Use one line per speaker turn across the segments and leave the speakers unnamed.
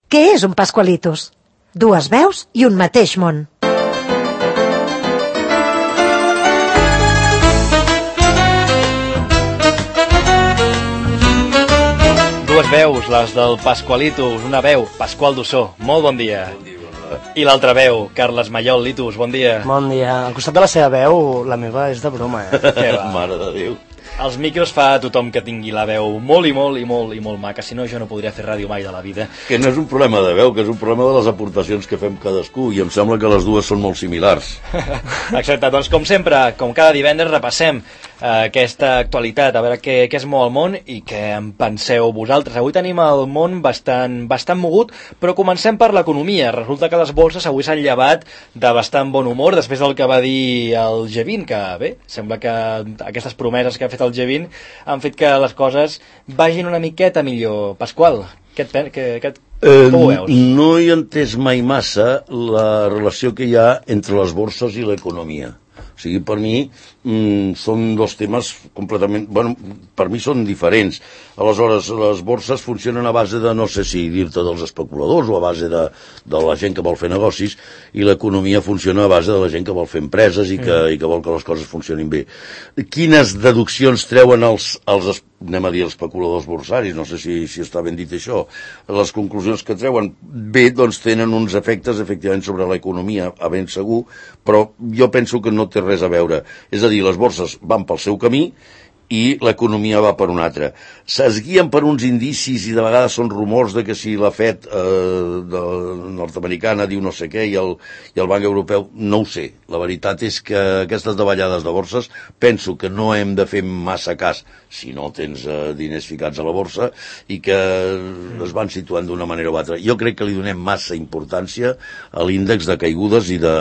Què és un Pascualitos? Dues veus i un mateix món.
Dues veus, les del Pascualitos, una veu, Pasqual Dussó, molt bon dia.
Bon dia.
I l'altra veu, Carles Mallol, Litus, bon dia.
Bon dia. Al costat de la seva veu, la meva és de broma,
Mare de Déu.
Els micros fa a tothom que tingui la veu molt maca, si no jo no podria fer ràdio mai de la vida.
Que no és un problema de veu, que és un problema de les aportacions que fem cadascú, i em sembla que les dues són molt similars.
Exacte, doncs com sempre, com cada divendres, repassem aquesta actualitat, a veure què es mou al món i què en penseu vosaltres. Avui tenim el món bastant mogut, però comencem per l'economia. Resulta que les borses avui s'han llevat de bastant bon humor després del que va dir el G20, que bé, sembla que aquestes promeses que ha fet el G20 han fet que les coses vagin una miqueta millor. Pasqual, com ho veus?
No he entès mai massa la relació que hi ha entre les borses i l'economia. O sigui, per mi són dos temes completament... Bueno, per mi són diferents. Aleshores, les borses funcionen a base de, no sé si dir-te dels especuladors o a base de la gent que vol fer negocis, i l'economia funciona a base de la gent que vol fer empreses i que vol que les coses funcionin bé. Quines deduccions treuen els anem a dir els especuladors borsaris, no sé si està ben dit això, les conclusions que treuen bé, doncs tenen uns efectes efectivament sobre l'economia, a ben segur, però jo penso que no té res a veure. És a dir, les borses van pel seu camí i l'economia va per un altre. Es guien per uns indicis i de vegades són rumors de que si la FED nord-americana diu no sé què i el Banc Europeu, no ho sé. La veritat és que aquestes davallades de borses penso que no hem de fer massa cas si no tens diners ficats a la borsa i que es van situant d'una manera o altra. Jo crec que li donem massa importància a l'índex de caigudes i de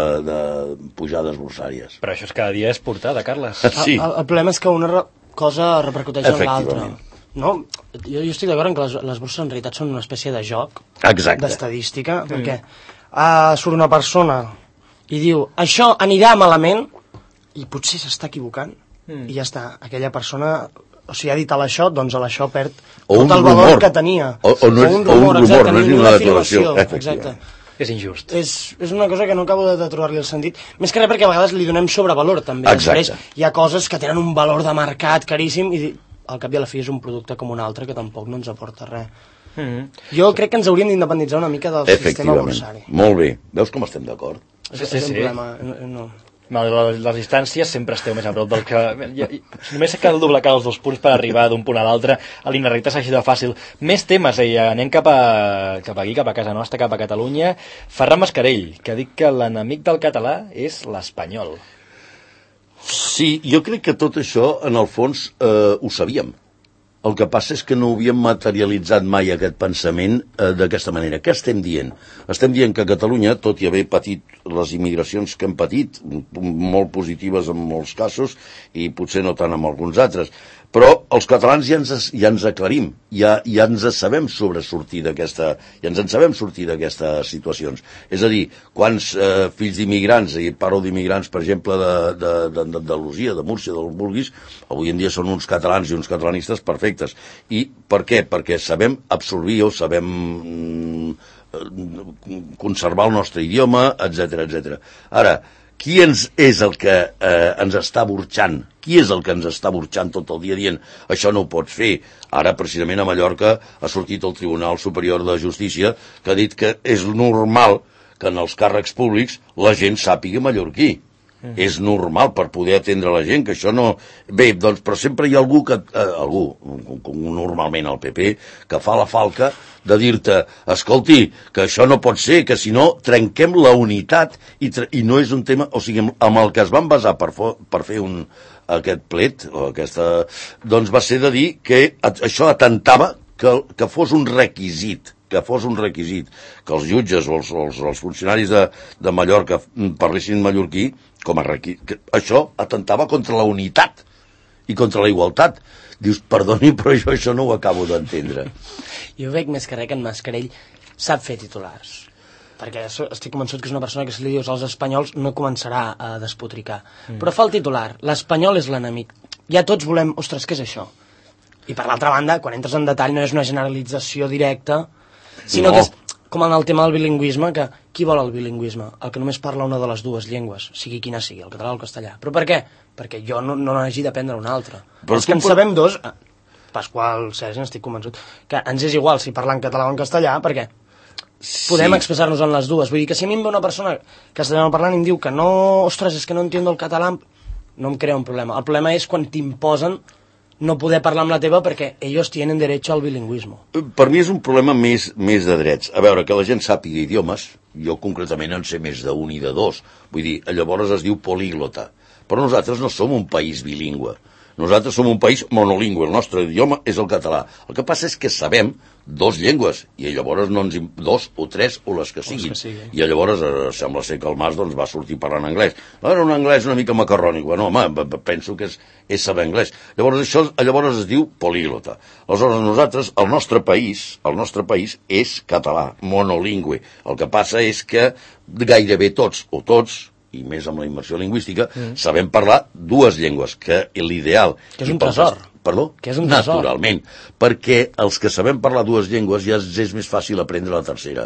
pujades borsàries.
Però això és cada dia és portada, Carles.
Sí.
El problema és que una cosa repercuteix en l'altra. No? Jo estic d'acord en que les borses en realitat són una espècie de joc, d'estadística, perquè surt una persona i diu això anirà malament i potser s'està equivocant i ja està, aquella persona, o sigui, ha dit a l'això, doncs a l'això perd tot el valor que tenia.
O un rumor, no és ni una declaració.
Exacte.
És injust.
És una cosa que no acabo de trobar-li el sentit. Més que res perquè a vegades li donem sobrevalor, també.
Exacte.
Després hi ha coses que tenen un valor de mercat caríssim i al cap i a la fi és un producte com un altre que tampoc no ens aporta res. Jo crec que ens hauríem d'independitzar una mica del sistema borsari.
Molt bé. Veus com estem d'acord?
És un problema. No.
Les distàncies sempre esteu més a prop del que... Només cal doblegar els 2 punts per arribar d'un punt a l'altre. A l'Inarrita s'ha així de fàcil. Més temes, anem cap aquí, cap a casa nostra, cap a Catalunya. Ferran Mascarell, que ha dit que l'enemic del català és l'espanyol.
Sí, jo crec que tot això, en el fons, ho sabíem. El que passa és que no havíem materialitzat mai aquest pensament d'aquesta manera. Què estem dient? Estem dient que Catalunya, tot i haver patit les immigracions que hem patit, molt positives en molts casos i potser no tant en alguns altres, però els catalans ja ens aclarim, ja ens sabem sobresortir ja ens en sabem sortir d'aquestes situacions. És a dir, quants fills d'immigrants, i parlo d'immigrants, per exemple, d'Andalusia, de Múrcia, d'on vulguis, avui en dia són uns catalans i uns catalanistes perfectes. I per què? Perquè sabem absorbir o sabem conservar el nostre idioma, etc. Ara, qui és el que ens està burxant? Qui és el que ens està burxant tot el dia dient això no ho pots fer? Ara, precisament, a Mallorca ha sortit el Tribunal Superior de Justícia que ha dit que és normal que en els càrrecs públics la gent sàpiga mallorquí. És normal per poder atendre la gent, que això no... Bé, doncs, però sempre hi ha algú, normalment el PP, que fa la falca de dir-te, escolti, que això no pot ser, que si no trenquem la unitat i no és un tema... O sigui, amb el que es van basar per fer aquest plet, o aquesta... Doncs va ser de dir que això atentava que fos un requisit, que els jutges o els funcionaris de Mallorca parlessin mallorquí, això atentava contra la unitat i contra la igualtat. Dius, perdoni, però jo això no ho acabo d'entendre.
Jo veig més que res que en Mascarell sap fer titulars, perquè estic convençut que és una persona que si li dius als espanyols no començarà a despotricar. Però fa el titular, l'espanyol és l'enemic. Ja tots volem, ostres, què és això? I per l'altra banda, quan entres en detall no és una generalització directa, sinó que és com en el tema del bilingüisme, que qui vol el bilingüisme? El que només parla una de les dues llengües, sigui quina sigui, el català o el castellà. Però per què? Perquè jo no n'hagi d'aprendre una altra. Els que en sabem dos, Pasqual, Sergi, n'estic convençut, que ens és igual si parlar en català o en castellà, perquè podem expressar-nos en les dues. Vull dir que si a mi em ve una persona castellano parlant i em diu que no, ostres, és que no entiendo el català, no em crea un problema. El problema és quan t'imposen no poder parlar amb la teva perquè ells tenen derecho al bilingüisme.
Per mi és un problema més de drets. A veure, que la gent sàpiga idiomes, jo concretament en sé més d'un i de dos. Vull dir, llavors es diu políglota. Però nosaltres no som un país bilingüe. Nosaltres som un país monolingüe, el nostre idioma és el català. El que passa és que sabem dos llengües, i llavors no ens... dos o tres o les que siguin. I llavors sembla ser que el Mas doncs, va sortir parlant anglès. Era un anglès una mica macarrònic. Bueno, home, penso que és saber anglès. Llavors es diu políglota. Aleshores nosaltres, el nostre país és català, monolingüe. El que passa és que gairebé tots, i més amb la immersió lingüística, sabem parlar dues llengües, que l'ideal...
Que és un tresor.
Perdó?
Que és un tresor.
Naturalment, perquè els que sabem parlar dues llengües ja és més fàcil aprendre la tercera.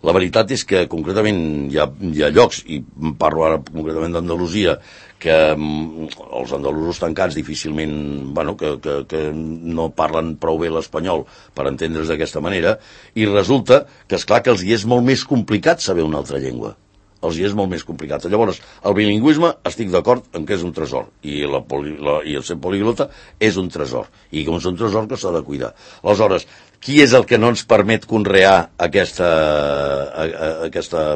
La veritat és que concretament hi ha llocs, i parlo ara concretament d'Andalusia, que els andalusos tancats difícilment, bueno, que no parlen prou bé l'espanyol per entendre's d'aquesta manera, i resulta que, esclar, que els hi és molt més complicat saber una altra llengua. Els hi és molt més complicat. Llavors, el bilingüisme, estic d'acord en que és un tresor, i el ser políglota és un tresor, i com és un tresor que s'ha de cuidar. Aleshores, qui és el que no ens permet conrear aquesta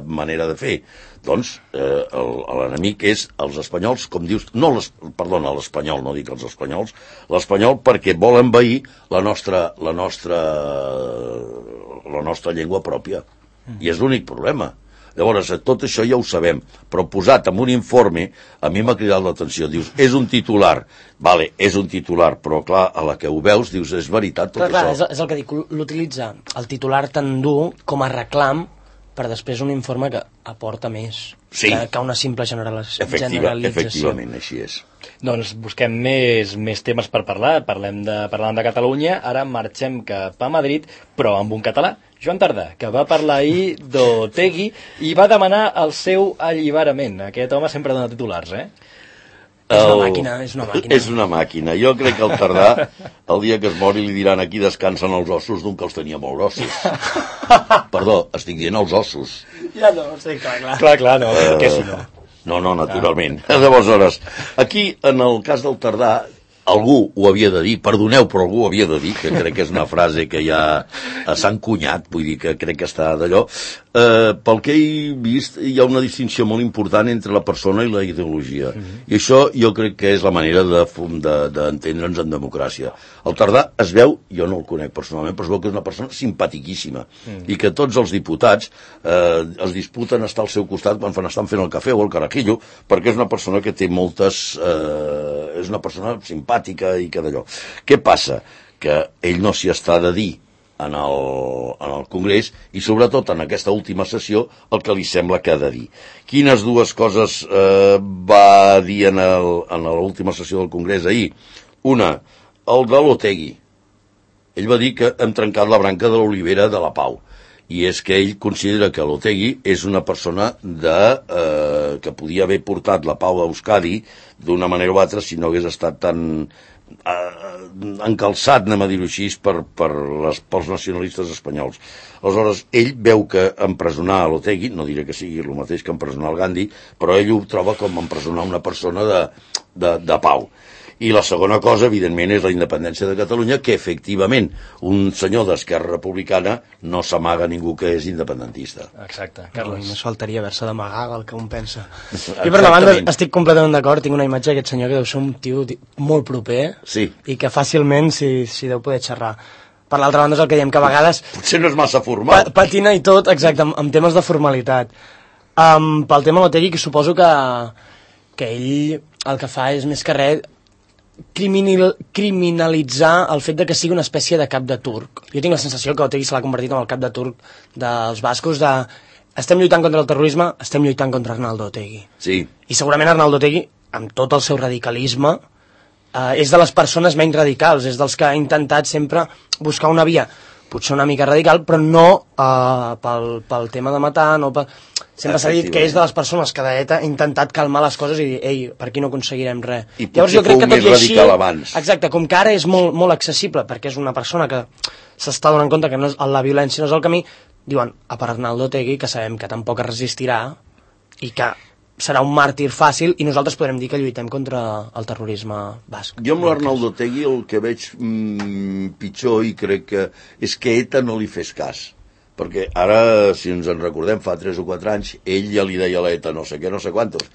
manera de fer? Doncs l'enemic és els espanyols, com dius, l'espanyol, no dic els espanyols, l'espanyol perquè vol envair la nostra llengua pròpia. I és l'únic problema. Llavors, tot això ja ho sabem, però posat en un informe, a mi m'ha cridat l'atenció. Dius, és un titular. Vale, és un titular, però clar, a la que ho veus, dius, és veritat tot
això.
Clar,
és el que dic, l'utilitza el titular tan dur com a reclam per després un informe que aporta més que una simple generalització.
Efectivament, així és.
Doncs busquem més temes per parlar. Parlem de Catalunya. Ara marxem cap a Madrid, però amb un català. Joan Tardà, que va parlar ahir d'Otegi i va demanar el seu alliberament. Aquest home sempre dona titulars,
És una màquina.
És una màquina. Jo crec que el Tardà, el dia que es mori, li diran aquí descansen els ossos d'un que els tenia molt grossos. Perdó, estic dient els ossos.
Ja no, sí, clar.
Clar, no, que si no.
No, naturalment. Llavors, aquí, en el cas del Tardà, algú ho havia de dir, perdoneu, però algú ho havia de dir, que crec que és una frase que ja s'ha encunyat, vull dir que crec que està d'allò. Pel que he vist, hi ha una distinció molt important entre la persona i la ideologia. I això jo crec que és la manera d'entendre'ns en democràcia. El Tardà es veu, jo no el conec personalment, però es veu que és una persona simpatiquíssima i que tots els diputats es disputen estar al seu costat quan estan fent el cafè o el carajillo, perquè és una persona que té moltes... és una persona simpàtica i que d'allò. Què passa? Que ell no s'hi està de dir en el Congrés i sobretot en aquesta última sessió el que li sembla que ha de dir. Quines dues coses va dir en l'última sessió del Congrés ahir? Una, el de l'Otegi. Ell va dir que hem trencat la branca de l'olivera de la Pau. I és que ell considera que l'Otegi és una persona que podia haver portat la pau a Euskadi d'una manera o altra si no hagués estat tan encalçat, anem a dir-ho així, pels nacionalistes espanyols. Aleshores, ell veu que empresonar l'Otegi, no diré que sigui el mateix que empresonar el Gandhi, però ell ho troba com empresonar una persona de pau. I la segona cosa, evidentment, és la independència de Catalunya, que efectivament un senyor d'Esquerra Republicana no s'amaga ningú que és independentista.
Exacte.
Carles. Només faltaria haver-se d'amagar el que un pensa. I per la banda estic completament d'acord, tinc una imatge d'aquest senyor que deu ser un tio molt proper i que fàcilment s'hi deu poder xerrar. Per l'altra banda és el que diem, que a vegades...
Potser no és massa formal.
Patina i tot, exacte, amb temes de formalitat. Pel tema Otegi, que suposo que ell el que fa és més que res criminalitzar el fet de que sigui una espècie de cap de turc. Jo tinc la sensació que Otegi se l'ha convertit en el cap de turc dels bascos de estem lluitant contra el terrorisme, estem lluitant contra Arnaldo Otegi.
Sí.
I segurament Arnaldo Otegi, amb tot el seu radicalisme, és de les persones menys radicals, és dels que ha intentat sempre buscar una via potser una mica radical, però no pel tema de matar, no pel... Sempre s'ha dit que és de les persones que d'ETA ha intentat calmar les coses i dir, ei, per aquí no aconseguirem res.
I potser fou més radical abans.
Exacte, com que ara és molt, molt accessible, perquè és una persona que s'està donant compte que la violència no és el camí, diuen, a per Arnaldo Otegi, que sabem que tampoc es resistirà i que serà un màrtir fàcil i nosaltres podrem dir que lluitem contra el terrorisme basc.
Jo amb l'Arnaldo Otegi el que veig pitjor i crec que és que ETA no li fes cas. Perquè ara, si ens en recordem, fa 3 o 4 anys, ell ja li deia a l'ETA no sé què, no sé quantos,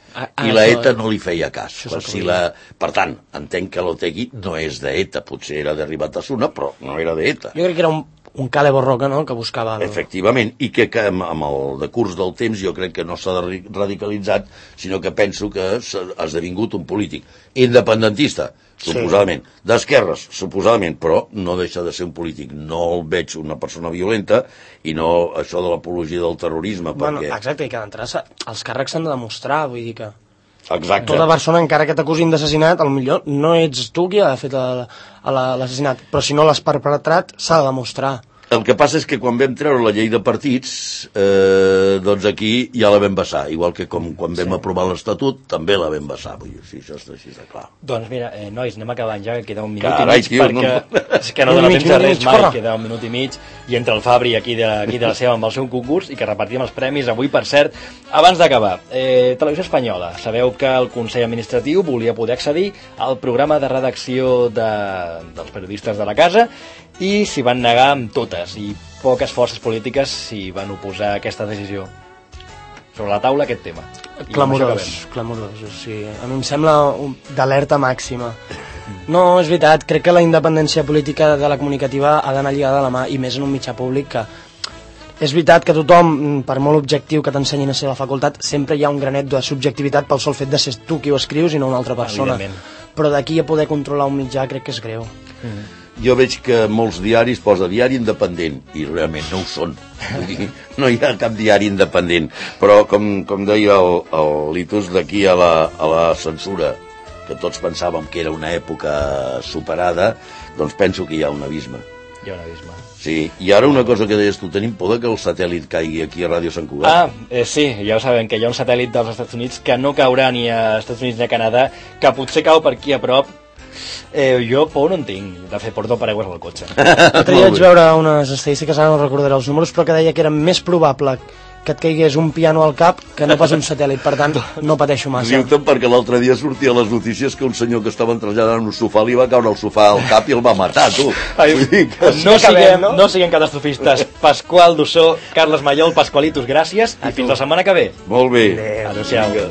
i l'ETA no li feia cas. Per tant, entenc que l'Otegi no és d'ETA, potser era de Ribatasuna, però no era d'ETA.
Jo crec que era un Cale Borroca, no?, que buscava...
Efectivament, i que amb el decurs del temps jo crec que no s'ha radicalitzat, sinó que penso que ha esdevingut un polític independentista, suposadament, d'esquerres, suposadament, però no deixa de ser un polític. No el veig una persona violenta i no això de l'apologia del terrorisme, perquè...
Exacte, i que d'entrada els càrrecs s'han de demostrar, vull dir que...
Exacte.
Tota persona, encara que t'acusin d'assassinat, potser no ets tu qui ha fet l'assassinat, però si no l'has perpetrat, s'ha de demostrar.
El que passa és que quan vam treure la llei de partits, doncs aquí ja la vam vessar, igual que quan vam aprovar l'Estatut, també la vam vessar. Vull dir, sí, això està així de clar.
Doncs mira, nois, anem acabant ja, que queda un minut i mig, perquè és que no dona temps de res mai, queda un minut i mig, i entre el Fabri aquí de la seva amb el seu concurs, i que repartim els premis avui, per cert. Abans d'acabar, Televisió Espanyola, sabeu que el Consell Administratiu volia poder accedir al programa de redacció dels periodistes de la casa, i s'hi van negar amb totes, i poques forces polítiques s'hi van oposar a aquesta decisió. Sobre la taula aquest tema.
Clamorós, o sigui, a mi em sembla d'alerta màxima. No, és veritat, crec que la independència política de la comunicativa ha d'anar lligada a la mà, i més en un mitjà públic que... És veritat que tothom, per molt objectiu que t'ensenyin a ser la facultat, sempre hi ha un granet de subjectivitat pel sol fet de ser tu qui ho escrius i no una altra persona. Però d'aquí a poder controlar un mitjà crec que és greu.
Jo veig que molts diaris posa diari independent, i realment no ho són. No hi ha cap diari independent. Però, com deia el Litus, d'aquí a la censura, que tots pensàvem que era una època superada, doncs penso que hi ha un abisme.
Hi ha un abisme.
Sí, i ara una cosa que deies tu, tenim por que el satèl·lit caigui aquí a Ràdio Sant Cugat.
Sí, ja ho sabem, que hi ha un satèl·lit dels Estats Units que no caurà ni a Estats Units ni a Canadà, que potser cau per aquí a prop. Jo por no en tinc, de fet porto paraigües al cotxe.
L'altre dia vaig veure unes estadístiques, ara no recordaré els números, però que deia que era més probable que et caigués un piano al cap que no pas un satèl·lit, per tant no pateixo massa.
Diu-te'n perquè l'altre dia sortia a les notícies que un senyor que estava traslladant en un sofà li va caure el sofà al cap i el va matar, tu.
No siguem catastrofistes. Pasqual Dussó, Carles Mallol, Pasqualitos, gràcies i fins la setmana que ve.
Molt bé.
Adéu-siau.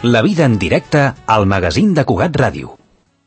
La vida en directe al magazín de Cugat Ràdio.